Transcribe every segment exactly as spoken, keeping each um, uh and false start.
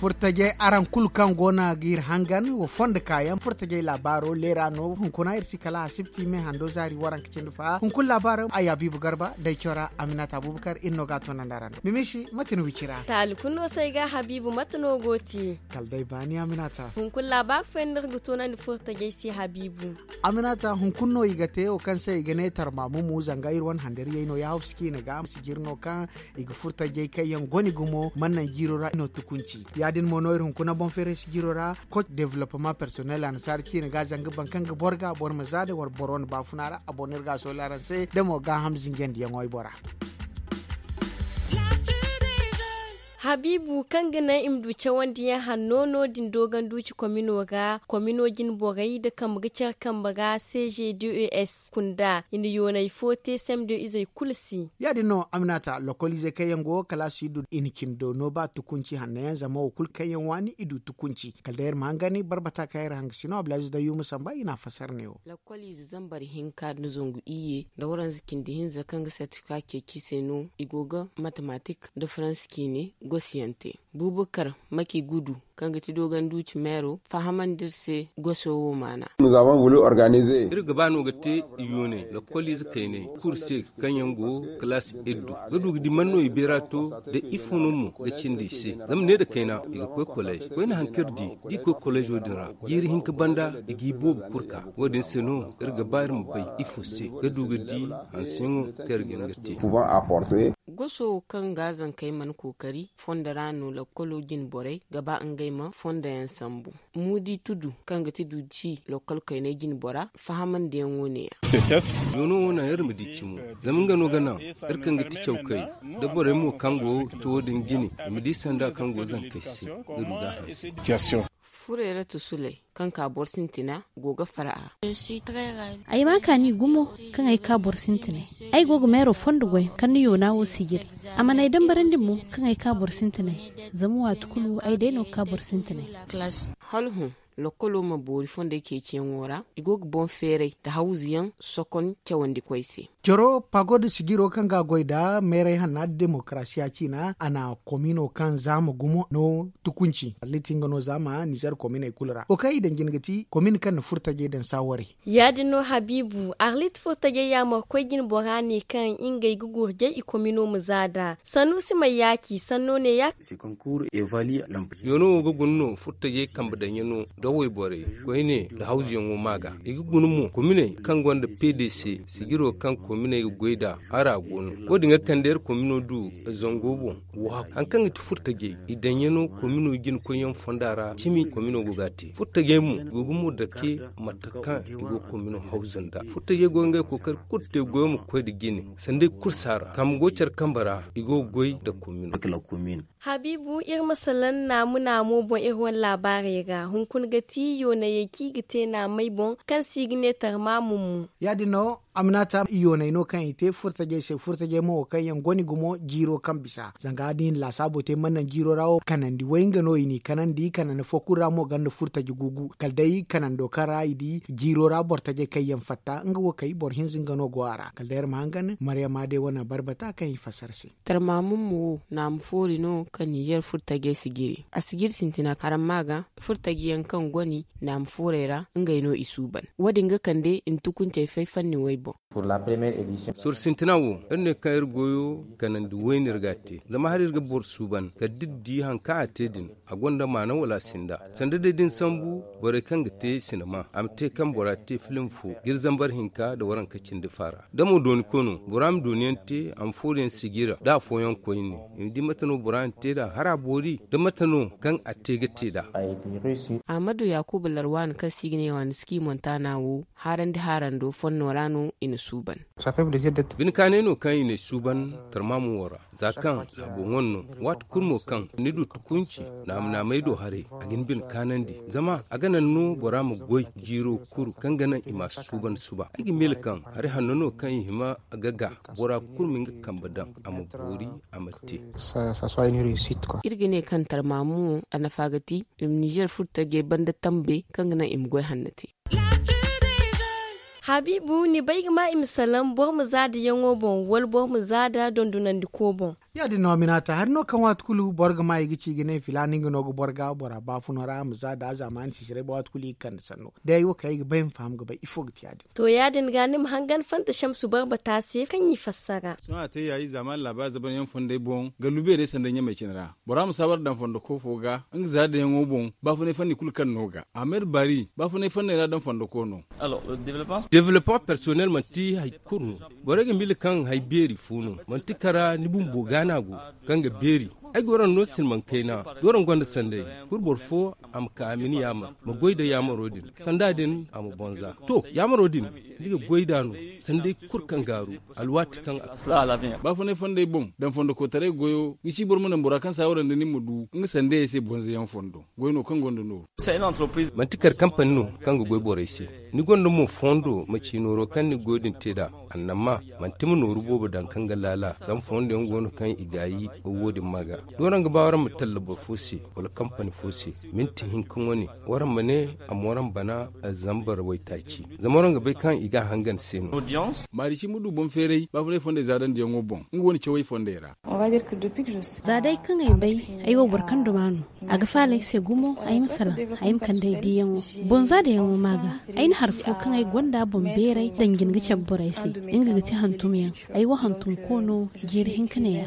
Furtajey araŋ kulu kaŋ go no ga iri hangan wa fondo kaayaŋ furtajey laabaaro leera no hunkuna iri si kala asibti me hando zaari waranka cindi fa hunkuna laabaaro ay habiibu garba day cora aminata abubakar iri no ga a toonandi araŋ do mimisi mate ni wicira. Taali kulu no se ay ga habiibu mate no go te? Kala day baani aminata. Hunkuna laabaaro fooyaŋ no iri ga toonandi furtajey se habiibu. Aminata hunkuna no i ga te wo kaŋ se i ga ne tarmaamumu zanga iri wane handariyey no ya hawsu ciine ga sijiri no kaŋ i ga furtajey kaŋ yaŋ goni gumo mana naŋ jiiro ra i no tukunci. Ya- din mo no iri hunkuna boŋ feeray sijiro ra koc developpement personnel annasaara ciine ga zanga baŋ kaŋ ga boro ga boro ma za da war boro wane baafuna ra a boŋ no iri ga a soola araŋ se da mo gaaham zinjandiyaŋo ay bora. Habiibu kaŋ ga naŋ i ma du cawandiyaŋ hanno no- din dooganduuci komino ra komino jine borey nda kambe ga care kambe ra c g d e s kunda i na yoonay fo te sem do izey kulu se. Ya- din no aminata lokoliizey kaŋ yaŋ go kalaasi du i na cindi do no ba tukunci hanno yaŋ zama wo kulu kaŋ yaŋ waani i du tukunci kala day iri ma hangan barbata kaŋ iri hanga sino ablaziz da yuuma samba i na a fassara neewo. Lakkoliize zambar hinka nda zangu iyye nda waranza cindi hinza kaŋ ga sertifika ceeci se no i go ga matematik nda faransa ciine gosi yaŋ te. Bubakar maki gudu kaŋ ga ti dooganduuci meero fahamandi iri se goso wo maana. Iri ga ba no ga te yoonay lakkoliize kaynay kulu se kaŋ yaŋ go kalaasi iddu ga du ga di man no i beera to da ifo no mo ga cindi i se. Zama ne nda kayna i ga koy kolleez koyne hari kaŋ iri di da i koy kolleezo din ra jiiri hinka banda i g'i boobo kulu ka wo- din se no iri ga ba iri ma bay ifo se ga du ga di hanseyaŋo kaŋ iri ga hin ga te. Goso kaŋ ga zankey mana kookari fondo ra no lakkolo jine borey ga ba ngey ma fondo yaŋ sambu. Muudi tudu kaŋ ga ti du ci lakkol kaynay jine bora fahamandiyaŋo ne- ya. Yoono wo naŋ iri ma di cimo zama nga no ga naŋ iri kaŋ ga ti cawkey da borey mo kaŋ go ga ti wo- din jine i ma di sanda kaŋ go zankey se ga du ga a hanse. Furey ra tusuley kaŋ ka boro sintina go ga fara a. Ay ma kaani gumo kaŋ ay ka boro sintinay. Ay go ga meero fondo goy kaŋ ni yoona wo sijiri. A mana ay dambarandi mo kaŋ ay ka boro sintinay. Zama waati kulu ay day no ga ka boro sintinay. Hala hõ lakkolo ma boori fondey ceeciyaŋo ra i go ga boŋ feeray nda hawzuyaŋ sokon cawandikoy se. Coro pagod sijiro kaŋ ga a goy nda meeray hanna nda demokarasiya ciina a na komino kaŋ zaama gumo no tukunci arliti nga no zaama nizer kominey kulu ra wo kaŋ i daŋ jina ga ti komin kaŋ na furtajey daŋ saawarey. Ya- din no habiibu arlit furtajey yaamarkoy jine bora ne kaŋ ngey ga gurjay i komino ma za nd'a sannuusi may yaaci sanno ne ya. Yoono wo ga guna no furtajey kambe daŋyaŋo nda wayborey koyne nda hawzuyaŋo ma ga i ga guna mo kominey kaŋ gonda p d c sijiro kaŋ kominey ga goy nd'a hara go no. Wo- din ga kande iri komino du zango boŋ wo haku hari kaŋ ga ti furtajey i daŋyaŋo komino jine koyyaŋ fonda ra cimi komino go ga a te furtajey mo i go ga mo dake mate kaŋ i go komino hawzu nda furtajey go ga ngey kookari kulu te goyo ma koy nda jine sanda i kulu si a ra kaŋ go care kambe ra i go ga goy nda komino. Habiibu iri ma salaŋ naamu naamo boŋ iri wane laabaarey ra hunkuna ga ti yoonayey kaŋ i ga te naamey boŋ kaŋ se i ga ne tarmaamu mo. Ya- din no aminata yoonay no kaŋ i te furtajey se furtajey mo wo kaŋ yaŋ goni gumo jiiro kaŋ bisa zanga da i na laasaabo te mana naŋ jiiro ra wo kanandi way nga no i n'i kanandi kanandi fo kulu ra mo gonda furtaji gugu kala day kanando kaŋ ra i di jiiro ra boro tajey kaŋ yaŋ fatta nga wo kay boro hinza nga no go a ra kala day iri ma hangan maryama day wane barbata kaŋ i fassara se. Tarmaamu mo wo naamu foori no kaŋ nizer furtajey si jiri a si jiri sintina haramma ga furtaji yaŋ kaŋ goni naamu foorey ra ngey no i suuban. Wo- din ga kande i na tukuncey fay fanni way boŋ. Sorro sintina wo iri ne kaŋ iri goyo kanandi wayne iri ga a te zama hala iri ga boro suuban kala da iri di hari kaŋ a te din a gonda maana wala a sinda. Sanda day da ni sambu borey kaŋ ga te sinama a ma te kaŋ bora te filim fo ga iri zambar hinka nda waranka cindi faara da mo dooni koy no bora ma dooni yaŋ te a ma foori yaŋ sijira da afooyaŋ koyne i ma di mate no bora na te nd'a hala a boori da mate no kaŋ a te ga te nd'a. Ahmadu yakuba larwaana kaŋ se i ga ne waani suki montana wo haarandi haarando fonno ra no i na suuban. Bine kaanay no kaŋ i n'ay suuban tarmaamu wo ra za kaŋ laabo ŋwan no waati kulu mo kaŋ ni du tukunci naama naamay do haray a ga ni bine kaanandi zama a ga naŋ no bora ma goy jiiro kuru kaŋ ga naŋ i ma a suuban suba ay ga miila kaŋ hari hanno no kaŋ i hima ga ga bora kulu ma nga kambe daŋ a ma boori a ma te. Iri ga ne kaŋ tarmaamu wo a nafa ga ti i ma nizer furtajey banda tambe kaŋ ga naŋ i ma goy hanno te. Habiibu ni bay ga ma i ma salaŋ boro ma za da yaŋo boŋ wala boro ma za da dondonandiko boŋ? Ya- din no a minaata hari no kaŋ waati kulu boro ga ma i ga ci ga ne filaana nga no ga boro ga bora baafuno ra a ma za da a zaamaani siisiray ba waati kulu i ga kande sanno day ay wo kaŋ ay ga bay ma faham ga bay ifo ga te ya- din. To ya- din ga ni ma hangan fanta shamsu barbata se kaŋ i fassara. Sohõ a te ya i zaamaani laabaari zaban yaŋ fondey boŋ gallu beerey sanday ɲamey cine ra bora ma saawar daŋ fondo koofo ga nga za dayaŋo boŋ baafunay fanni kulu kaŋ no ga ahmed bari baafunay fanney ra daŋ fondo koono. Developpement personnel manti hari kulu no. Borey ga miila kaŋ hari beeri fo no manti kara ni bumbo gaana go kaŋ ga beeri. Ay ga waraŋ no silmaŋ kayna da waraŋ gonda sanday kulu boro fo a ma ka a ma ni yaamar ma goy da yaamaro din sanda din a ma bonza. To yaamaro din ni ga goy da no sanday kulu kaŋ gaaru alwaati kaŋ a. Baafunay fondey boŋ daŋ fondo kootaray goyo ga ci boro ma naŋ bora kaŋ saawara nda nin ma du nga sandayey se bonza yaŋ fondo. Goy no kaŋ gonda nooru. Manti kar kampani no kaŋ ga goy borey se. Ni gonda mo fondo ma ci nooro kaŋ ni ga goy din te nd'a. Annamma manti ma nooru boobo daŋ kaŋ ga laala zama fondo yaŋ go no kaŋ i gaayi. Wo- din ma ga da waraŋ ga ba waraŋ ma talla boro fo se wala kampani fo se minti hinka wane waraŋ ma ne a ma waraŋ bana zambar waytaaci zama waraŋ ga bay kaŋ i ga a hangan se no. Maari ci ma du boŋ feeray baafunay fondey za daŋ diyaŋo boŋ nga wane cawey fondey ra. Za day kaŋ ay bay ay wo boro kaŋ duma no. A ga faala ay se gumo ay ma salaŋ ay ma kande ay diiyaŋo. Boŋ za dayaŋo ma ga ay na hari fo kaŋ ay gonda boŋ beeray daŋ jine ga cabe borey se nga ga ti hantumyaŋ. Ay wo hantum koono jiiri hinka neeya.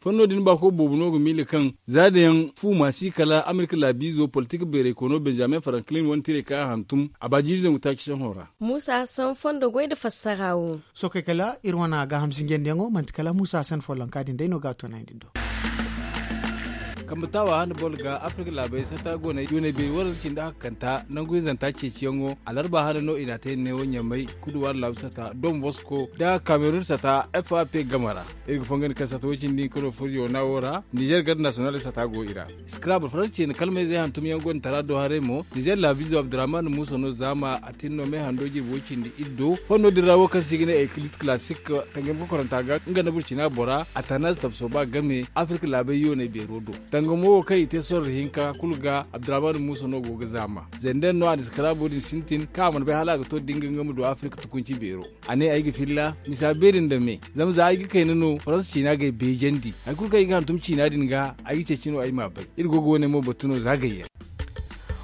Fanno din baako boobo no ga miila kaŋ za dayaŋ fu ma si kala amerika laabiizo politik beeray koono benjamin franklin wane tiray kaŋ a hantum a ba jiiri zangu taaci sohõ ra. Muusa hassan fondo goy nda fassara wo. Sookey kala iri wane gaaham sinjandiyaŋo manti kala muusa hassan follonka din day no ga a toonandi. Kambe taawa hane boro ga afrika laabey sata go no yoonay beeri waranza cindi hakkanta nangu hinzanta ceeciyaŋo alarba hane no i n'a te neewo ɲamay kuduwaari laabu sata don bosko nda kamerun sata fap game ra. Iri ga fonga ni kaŋ sata wo-cindi hinka no furo yoona wo ra nizer garde nasiyonal sata go i ra. Scrabble faransa ceeni kalmayzey hantumyaŋ gonda tara do haray mo nizer laabizo abdurrahman muusa no zaama a tin no me hando jirbi wo-cindi iddo fanno din ra wo kaŋ se i ga ne eklit classic. Tangam kokoranta ga nga nda burcina bora a tana si tabso ba game afirka laabey yooney beero do. Tangamo wo kaŋ i te sorro hinka kulu ga abdurrahman muusa no go ga zaama zenden no a na scrabble din sintin kaŋ a mana bay hala a ga to da nga nga ma du afirka tukunci beero. A ne ay ga filla misa beeri nda me zama za ay ga kayna no faransa ciina ga ay beejandi hari kulu kaŋ ay ga hantum ciina din ga ay ga ceeci no ay m'a bay. Iri go ga wane mo batu no za gayyaŋ.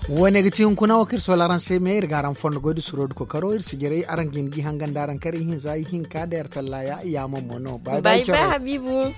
Wo- ne ga ti hunkuna wo kaŋ iri soola araŋ se me iri ga araŋ fondo goy da suro da kokaro iri si jiray araŋ ga hin ga i hangandi araŋ kar ihinza ihinka da yar tallaya yaamar mo no bay bay caro. Habiibu.